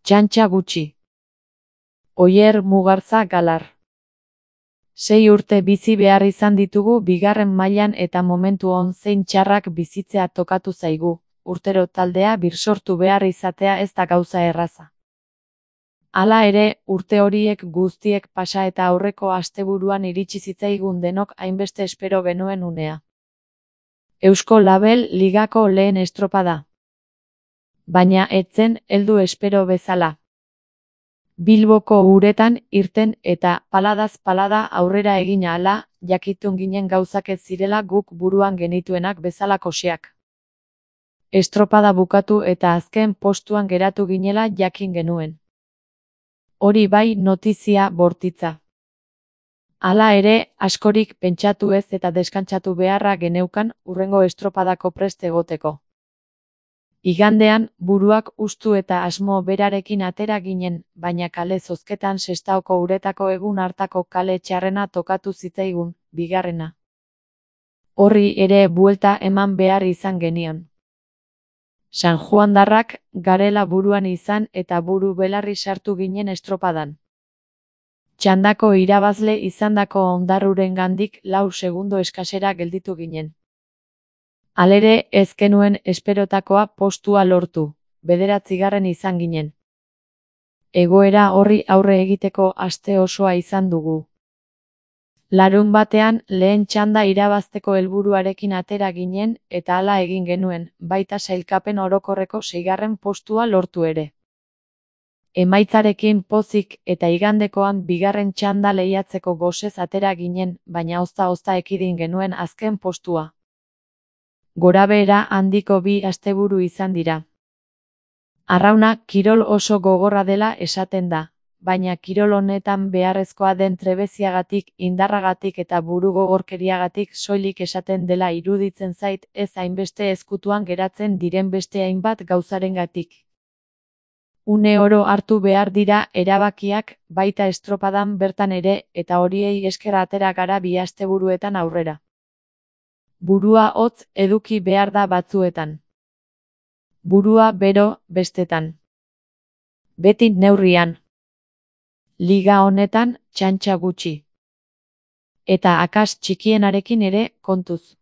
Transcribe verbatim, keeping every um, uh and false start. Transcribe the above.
Txantxa gutxi. Oier Mugartza Galar. Sei urte bizi behar izan ditugu bigarren mailan eta momentu on zein txarrak bizitzea tokatu zaigu, urtero taldea birsortu behar izatea ez da gauza erraza. Hala ere, urte horiek guztiek pasa eta aurreko asteburuan iritsi zitzaigun denok hainbeste espero genuen unea. Eusko Label Ligako lehen estropada. Baina ez zen heldu espero bezala. Bilboko uretan irten eta paladaz palada aurrera egin ahala, jakitun ginen gauzak ez zirela guk buruan genituenak bezala koxeak. Estropada bukatu eta azken postuan geratu ginela jakin genuen. Hori bai notizia bortitza. Hala ere, askorik pentsatu ez eta deskantsatu beharra geneukan hurrengo estropadako prest egoteko. Igandean, buruak hustu eta asmo berarekin atera ginen, baina kale zozketan Sestaoko uretako egun hartako kale txarrena tokatu zitzaigun, bigarrena. Horri ere buelta eman behar izan genion. Sanjuandarrak garela buruan izan eta buru belarri sartu ginen estropadan. Txandako irabazle izandako Ondarrurengandik lau segundo eskasera gelditu ginen. Halere ez genuen esperotakoa postua lortu, bederatzigarren izan ginen. Egoera horri aurre egiteko aste osoa izan dugu. Larun batean lehen txanda irabazteko helburuarekin atera ginen eta hala egin genuen, baita sailkapen orokorreko seigarren postua lortu ere. Emaitzarekin pozik eta igandekoan bigarren txanda lehiatzeko gosez atera ginen, baina ozta-ozta ekidin genuen azken postua. Gorabehera handiko bi asteburu izan dira. Arrauna kirol oso gogorra dela esaten da, baina kirol honetan beharrezkoa den trebeziagatik, indarragatik eta burugogorkeriagatik soilik esaten dela iruditzen zait ez hainbeste ezkutuan geratzen diren beste hainbat gauzarengatik. Une oro hartu behar dira erabakiak, baita estropadan bertan ere, eta horiei esker atera gara bi asteburuetan aurrera. Burua hotz eduki behar da batzuetan. Burua bero bestetan. Beti neurrian. Liga honetan txantxa gutxi. Eta akats txikienarekin ere kontuz.